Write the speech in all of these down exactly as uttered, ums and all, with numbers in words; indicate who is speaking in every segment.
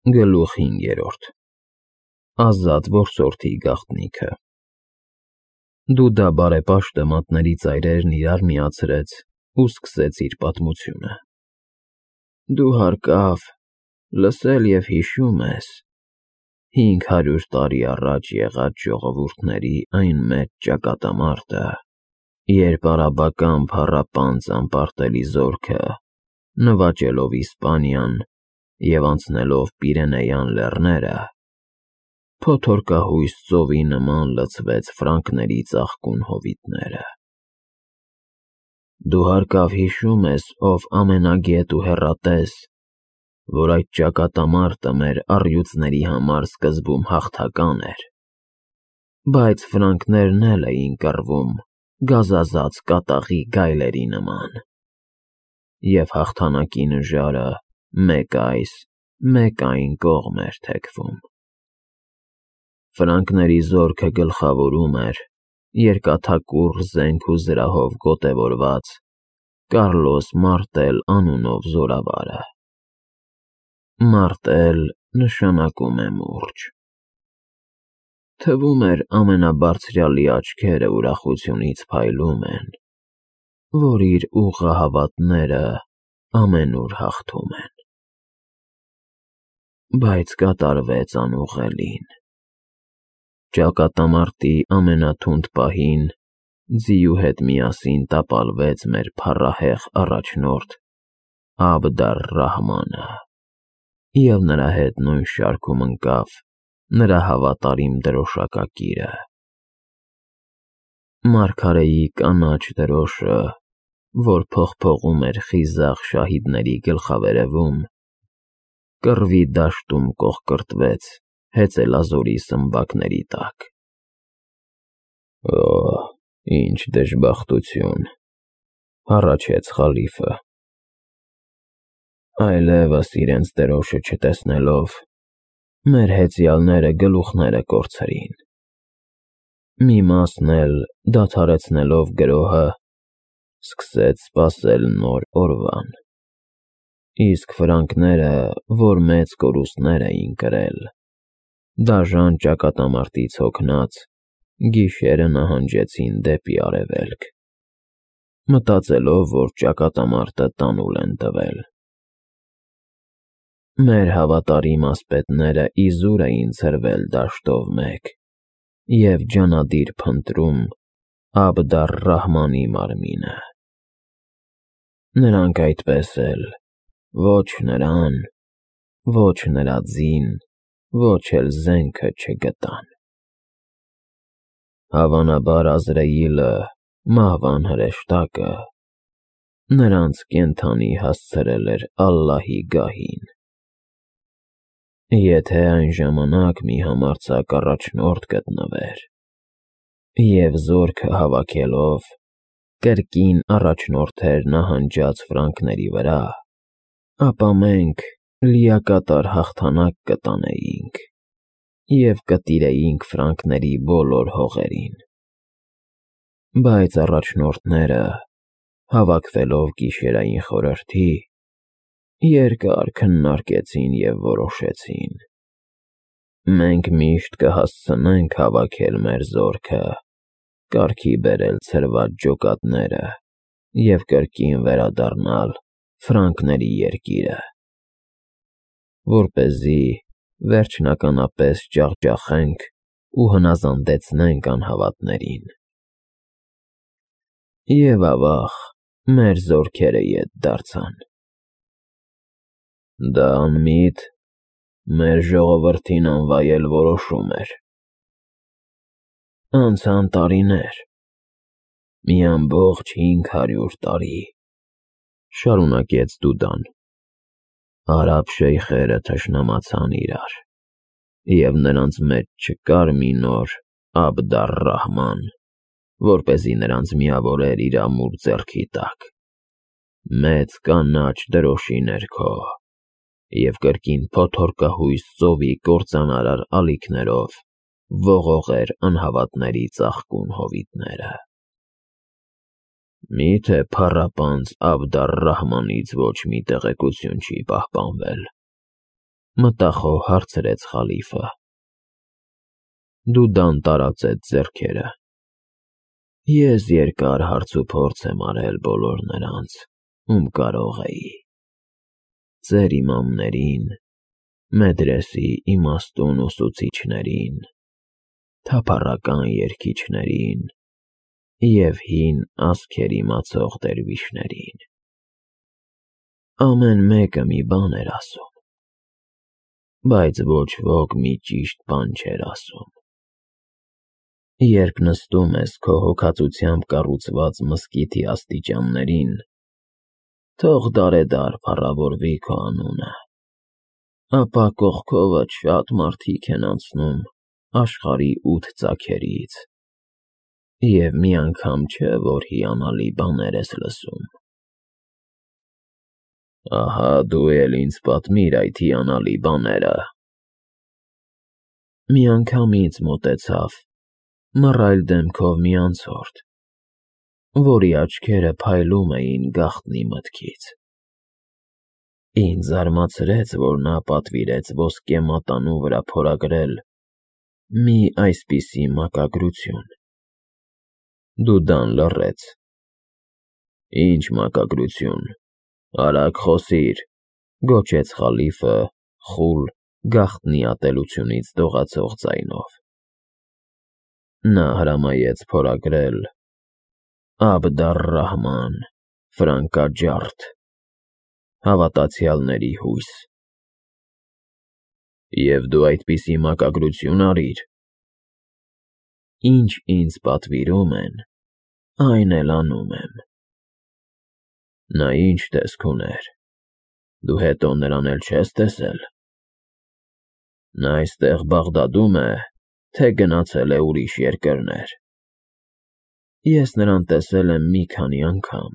Speaker 1: Գլուխ հինգերորդ Ազատ որսորդի գաղտնիքը Դու դա բարեպաշտը մատների ծայրերն իրար միացրեց ու սկսեց իր պատմությունը. Դու հարկավ, լսել և հիշում ես հինգ հարյուր տարի առաջ եղած ժողովուրդների այն մեծ ճակատամարտը, երբ արաբական փառապանծ անպարտելի զորքը, նվաճելով Իսպանիան և անցնելով Պիրենեյան լեռները, փոթորկահույս ծովի նման լցվեց ֆրանկների ծաղկուն հովիտները։ Դու հարկավ հիշում ես, ով ամենագետ ու հեռատես, որ այդ ճակատամարտը մեր առյուծների համար սկզբում հաղթական էր, բայց ֆրանկներն էլ էին կռվում գազազած կատաղի գայլերի նման, և հաղթանակի նժարը մեկ այս, մեկ այն կողմ էր թեքվում։ Ֆրանկների զորքը գլխավորում էր երկաթակուռ զենք ու զրահով գոտևորված Կարլոս Մարտել անունով զորավարը։ Մարտել նշանակում է մուրճ։ Թվում էր ամենաբարձրյալի աչքերը ուրախությունից փայլում են, որ իր ուղղահավատները ամենուր հաղթում են։ Բայց կատարվեց անուղղելին։ Ճակատամարտի ամենաթունդ պահին ձիու հետ միասին տապալվեց մեր փառահեղ առաջնորդ Աբդ ալ֊Ռահմանը, և նրա հետ նույն շարքում ընկավ նրա հավատարիմ դրոշակակիրը։ Մարգարեի կանաչ դրոշը, որ փողփողում էր խիզախ շահիդների գլխավերևում, կռվի դաշտում կոխկրտվեց հեծելազորի սմբակների տակ։ Օ՜, ինչ դժբախտություն, հառաչեց խալիֆը։ Այլևս իրենց դրոշը չտեսնելով, մեր հեծյալները գլուխները կորցրին։ Մի մասն էլ, դադարեցնելով գրոհը, սկսեց սպասել նոր օրվան, իսկ ֆրանկները, որ մեծ կորուստներ էին կրել, դաժան ճակատամարտից հոգնած, գիշերը նահանջեցին դեպի արևելք, մտածելով, որ ճակատամարտը տանուլ են տվել։ Մեր հավատարիմ ասպետները իզուր էին ցրվել դաշտով մեկ և ջանադիր փնտրում Աբդ ալ-Ռահմանի մարմինը։ Նրանք այդպես էլ ոչ նրան, ոչ նրա ձին, ոչ էլ զենքը չգտան։ Հավանաբար Ազրայիլը, մահվան հրեշտակը, նրանց կենդանի հասցրել էր Ալլահի գահին։ Եթե այն ժամանակ մի համարձակ առաջնորդ գտնվեր, և զորքը հավաքելով կրկին առաջնորդեր նահանջած ֆրանկների վրա, ապա մենք լիակատար հաղթանակ կտանեինք և կտիրեինք ֆրանկների բոլոր հողերին։ Բայց առաջնորդները, հավաքվելով գիշերային խորհրդի, երկար քննարկեցին և որոշեցին. մենք միշտ կհասցնենք հավաքել մեր զորքը, կարգի բերել ցրված ջոկատները և կրկին վերադառնալ ֆրանկների երկիրը, որպեսզի վերջնականապես ջախջախենք ու հնազանդեցնենք անհավատներին։ Եվ ավաղ, մեր զորքերը ետ դարձան։ Դա անմիտ, մեր ժողովրդին անվայել որոշում էր։ Անցան տարիներ, մի ամբողջ հինգ հարյուր տարի, շարունակեց Դուդան, արաբ շեյխերը թշնամացան իրար, և նրանց մեջ չկար մի նոր Աբդ ալ-Ռահման, որպեսզի նրանց միավորեր իր ամուր ձեռքի տակ, մեծ կանաչ դրոշի ներքո, և կրկին փոթորկահույս ծովի կործանարար ալիքներով ողողեր անհավատների ծաղկուն հովիտները։ Մի՞թե փառապանծ Աբդ ալ-Ռահմանից ոչ մի տեղեկություն չի պահպանվել։ Մտախոհ հարցրեց խալիֆը։ Դուդան տարածեց ձեռքերը։ Ես երկար հարց ու փորձ եմ արել բոլոր նրանց, ում կարող էի։ Ձեր իմամներին, մեդրեսի իմաստուն ուսուցիչներին, թափառական երգիչներին և հին ասքեր իմացող դերվիշներին։ Ամեն մեկը մի բան էր ասում, բայց ոչ ոք մի ճիշտ բան չէր ասում։ Երբ նստում ես քո հոգածությամբ կառուցված մզկիթի աստիճաններին, թող դարեդար փառավորվի քո անունը, ապա կողքովդ շատ մարդիկ են անցնում աշխարհի ութ ծագերից, և մի անգամ չէ, որ հիանալի բաներ ես լսում։ Ահա դու էլ ինձ պատմիր այդ հիանալի բաները։ Մի անգամ ինձ մոտեցավ մռայլ դեմքով մի անցորդ, որի աչքերը փայլում էին գաղտնի մտքից։ Ինձ զարմացրեց, որ նա պատվիրեց ոսկե մատանու վրա փորագրել մի այսպիսի մակագրություն։ Դուդան լռեց։ Ինչ մակագրություն, արագ խոսիր, գոչեց խալիֆը խուլ, գաղտնի ատելությունից դողացող ձայնով։ Նա հրամայեց փորագրել Աբդ ալ-Ռահման, ֆրանկաջարդ, հավատացյալների հույս։ Եվ դու այդպիսի մակագրություն արիր։ Ինչ ինձ պատվիրում են, այն էլ անում եմ։ Նա ինչ տեսք ուներ, դու հետո նրան էլ չես տեսել։ Նա այստեղ Բաղդադում է, թե գնացել է ուրիշ երկրներ։ Ես նրան տեսել եմ մի քանի անգամ։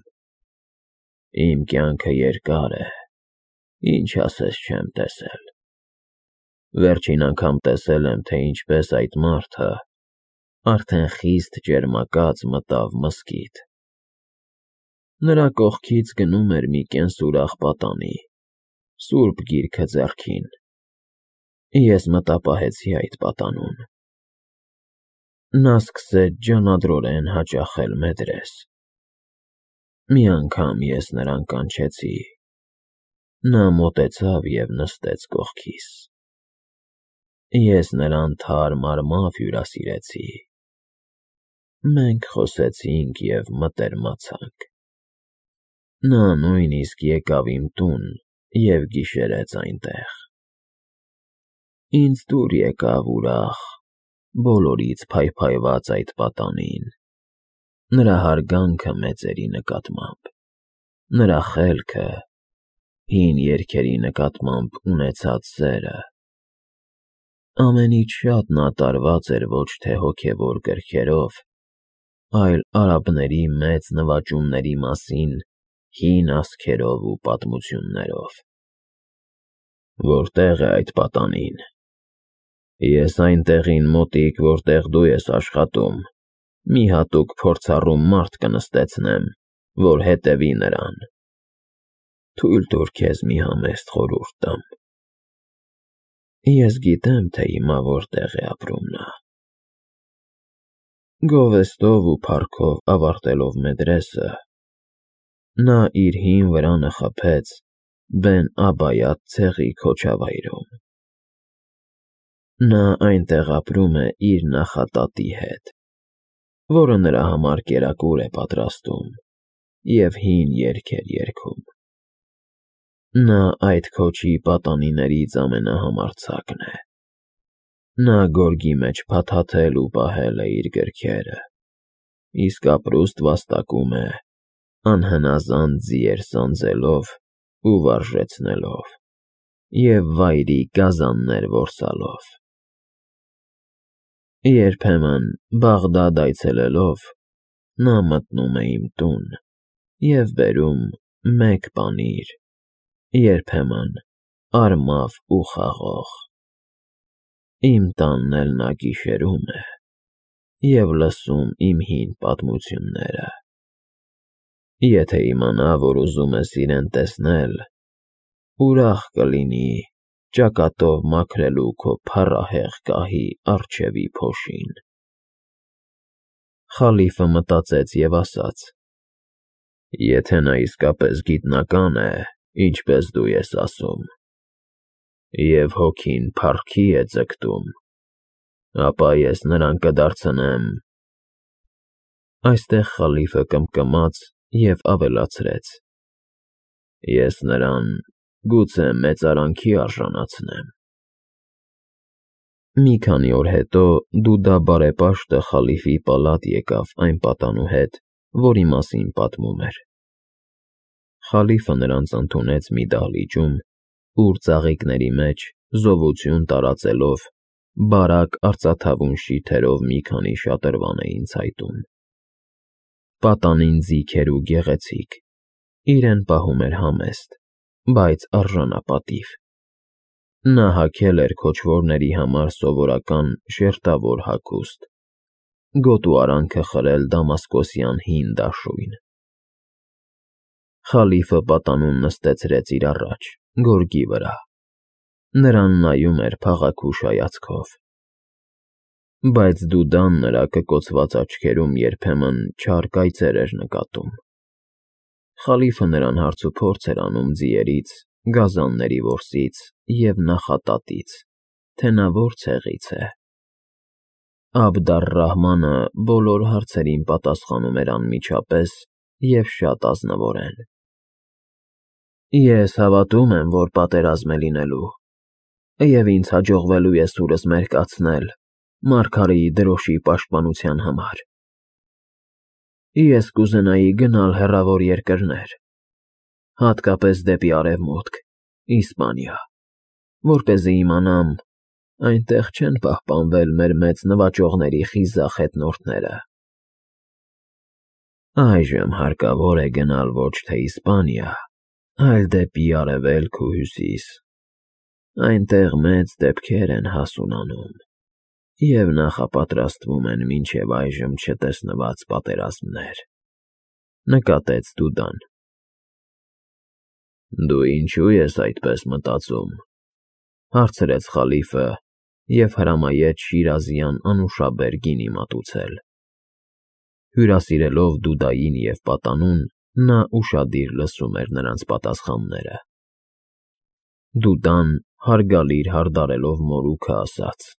Speaker 1: Իմ կյանքը երկար է, ինչ ասես չեմ տեսել։ Վերջին անգամ տեսել եմ, թե ինչպես այդ մարդը, արդեն խիստ ճերմակած, մտավ մզկիթ։ Նրա կողքից գնում էր մի կենսուրախ պատանի, սուրբ գիրքը ձեռքին։ Ես մտապահեցի այդ պատանուն։ Նա սկսեց ջանադրորեն հաճախել մեդրես։ Մի անգամ ես նրան կանչեցի։ Նա մոտեցավ և նստեց կողքիս։ Ես նրան թարմ-արմավ հյուրասիրեցի։ Մենք խոսեցինք և մտերմացանք։ Նա նույնիսկ եկավ իմ տուն և գիշերեց այնտեղ։ Ինձ դուր եկավ ուրախ, բոլորից փայփայված այդ պատանին, նրա հարգանքը մեծերի նկատմամբ, նրա խելքը, հին երգերի նկատմամբ ունեցած սերը։ Ամենից շատ նա տարված էր ոչ թե հոգևոր գրքերով, այլ արաբների մեծ նվաճումների մասին հին ասքերով ու պատմություններով։ Որտե՞ղ է այդ պատանին։ Ես այն տեղին մոտիկ, որտեղ դու ես աշխատում, մի հատուկ փորձառու մարդ կնստեցնեմ, որ հետևի նրան։ Թույլ տուր քեզ մի համեստ խորհուրդ տամ։ Ես գիտեմ, թե հիմա որտեղ է ապրում նա։ Գովեստով ու փառքով ավարտելով մեդրեսը, նա իր հին վրանը խփեց Բեն-Աբայաթ ցեղի քոչավայրում։ Նա այնտեղ ապրում է իր նախատատի հետ, որը նրա համար կերակուր է պատրաստում և հին երգեր երգում։ Նա այդ քոչի պատանիներից ամենահամարձակն է։ Նա գորգի մեջ փաթաթել ու պահել է իր գրքերը, իսկ ապրուստ վաստակում է անհնազանդ ձիեր սանձելով ու վարժեցնելով և վայրի գազաններ որսալով։ Երբեմն Բաղդադ այցելելով, նա մտնում է իմ տուն և բերում մեկ պանիր, երբեմն արմավ ու խաղող։ Իմ տանն էլ նա գիշերում է և լսում իմ հին պատմությունները։ Եթե իմանա, որ ուզում ես իրեն տեսնել, ուրախ կլինի ճակատով մաքրելու քո փառահեղ գահի առջևի փոշին։ Խալիֆը մտածեց և ասաց. Եթե նա իսկապես գիտնական է, ինչպես դու ես ասում, և հոգին փառքի է ձգտում, ապա ես նրան կդարձնեմ… Այստեղ խալիֆը կմկմաց և ավելացրեց. Ես նրան գուցե մեծարանքի արժանացնեմ… Մի քանի օր հետո Դուդա բարեպաշտը խալիֆի պալատ եկավ այն պատանու հետ, որի մասին պատմում էր. Խալիֆը նրանց ընդունեց մի դահլիճում, ուր ծաղիկների մեջ, զովություն տարածելով, բարակ արծաթավուն շիթերով մի քանի շատրվան էին ցայտում։ Պատանին ձիգ էր ու գեղեցիկ, իրեն պահում էր համեստ, բայց արժանապատիվ։ Նա հագել էր քոչվորների համար սովորական շերտավոր հագուստ, գոտու արանքը խրել դամասկոսյան հին դաշույն։ Խալիֆը պատանուն նստեցրեց իր առաջ, գորգի վրա, նրան նայում էր փաղաքուշ հայացքով։ Բայց Դուդան նրա կկոցված աչքերում երբեմն չար կայծեր էր նկատում։ Խալիֆը նրան հարցուփորձ էր անում ձիերից, գազանների որսից և նախատատից, թե նա որ ցեղից է։ Աբդ առ֊Ռահմանը բոլոր հարցերին պատասխանում էր անմիջապես և շատ ազնվորեն։ Ես հավատում եմ, որ պատերազմ է լինելու, և ինձ հաջողվելու է սուրս մերկացնել մարգարեի դրոշի պաշտպանության համար։ Ես կուզենայի գնալ հեռավոր երկրներ, հատկապես դեպի Արևմուտք, Իսպանիա, որպեսզի իմանամ՝ այնտեղ չեն պահպանվել մեր մեծ նվաճողների խիզախ հետնորդները։ Այժմ հարկավոր է գնալ ոչ թե Իսպանիա, այլ դեպի Արևելք ու Հյուսիս, այնտեղ մեծ դեպքեր են հասունանում և նախապատրաստվում են մինչև այժմ չտեսնված պատերազմներ, նկատեց Դուդան։ Դու ինչո՞ւ ես այդպես մտածում, հարցրեց խալիֆը և հրամայեց Շիրազյան անուշաբեր գինի մատուցել։ Հյուրասիրելով Դուդային և պատանուն, նա ուշադիր լսում էր նրանց պատասխանները։ Դուդան հարգալից հարդարելով մորուքը ասաց.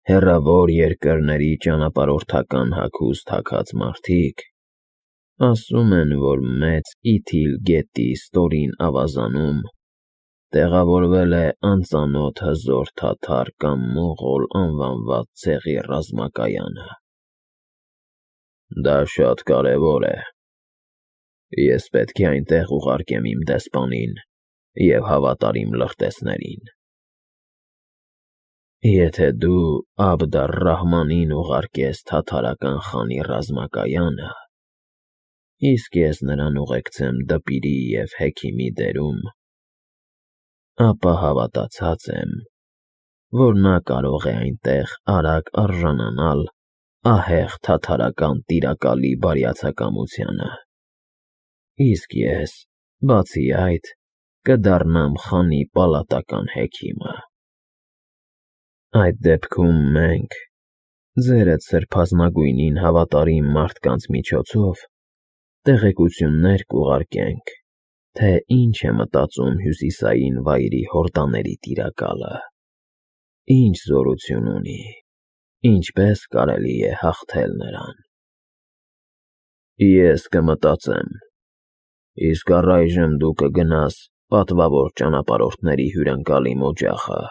Speaker 1: Հեռավոր երկրների ճանապարհորդական հագուստ հագած մարդիկ ասում են, որ մեծ Իթիլ գետի ստորին ավազանում տեղավորվել է անծանոթ հզոր թաթար կամ մողոլ անվանված ցեղի ռազմակայանը։ Դա շատ կարևոր է։ Ես պետք է այնտեղ ուղարկեմ իմ դեսպանին և հավատարիմ լրտեսներին։ Եթե դու Աբդ առ֊Ռահմանին ուղարկես թաթարական խանի ռազմակայանը, իսկ ես նրան ուղեկցեմ դպիրի և հեքիմի դերում, ապա հավատացած եմ, որ նա կարող է այնտեղ արագ արժանանալ ահեղ թաթարական տիրակալի բարյացակամությանը, իսկ ես, բացի այդ, կդառնամ խանի պալատական հեքիմը։ Այդ դեպքում մենք, ձերդ սրբազնագույնին հավատարիմ մարդկանց միջոցով, տեղեկություններ կուղարկենք, թե ինչ է մտածում հյուսիսային վայրի հորդաների տիրակալը, ինչ զորություն ունի, ինչպես կարելի է հաղթել նրան։ Ես կմտածեմ, իսկ առայժմ դու կգնաս պատվավոր ճանապարհորդների հյուրընկալիմ օջախը,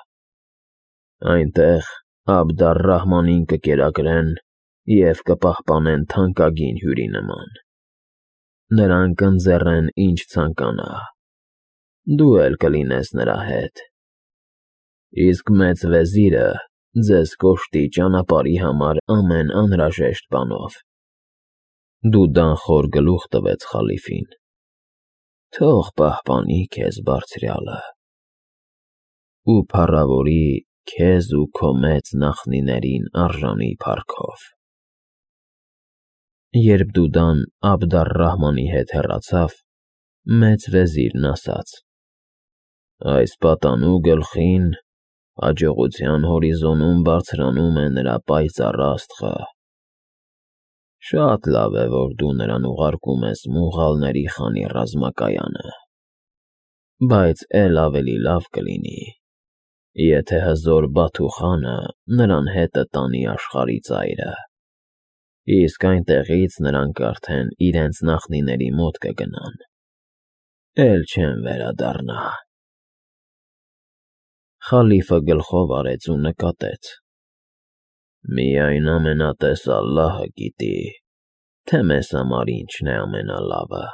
Speaker 1: այնտեղ Աբդ առ֊Ռահմանին կկերակրեն և կպահպանեն թանկագին հյուրի նման։ Նրան կընձեռեն ինչ ցանկանա, դու էլ կլինես նրա հետ, իսկ մեծ վեզիրը ձեզ կօժտի ճանապարհի համար ամեն անհրաժեշտ բանով։ Դուդան խոր գլուխ տվեց խալիֆին. Թող պահպանի քեզ բարձրյալը ու փառավորի քեզ ու քո մեծ նախնիներին արժանի փառքով։ Երբ Դուդան Աբդ առ֊Ռահմանի հետ հեռացավ, մեծ վեզիրն ասաց. Այս պատանու գլխին հաջողության հորիզոնում բարձրանում է նրա պայծառ աստղը։ Շատ լավ է, որ դու նրան ուղարկում ես մուղալների խանի ռազմակայանը, բայց էլ ավելի լավ կլինի, եթե հզոր Բաթու խանը նրան հետը տանի աշխարհի ծայրը, իսկ այնտեղից նրանք արդեն իրենց նախնիների մոտ կգնան, էլ չեն վերադառնա։ Խալիֆը գլխով արեց ու նկատեց. «Միայն ամենատես Ալլահը գիտի, թե մեզ համար ինչն է ամենալավը»։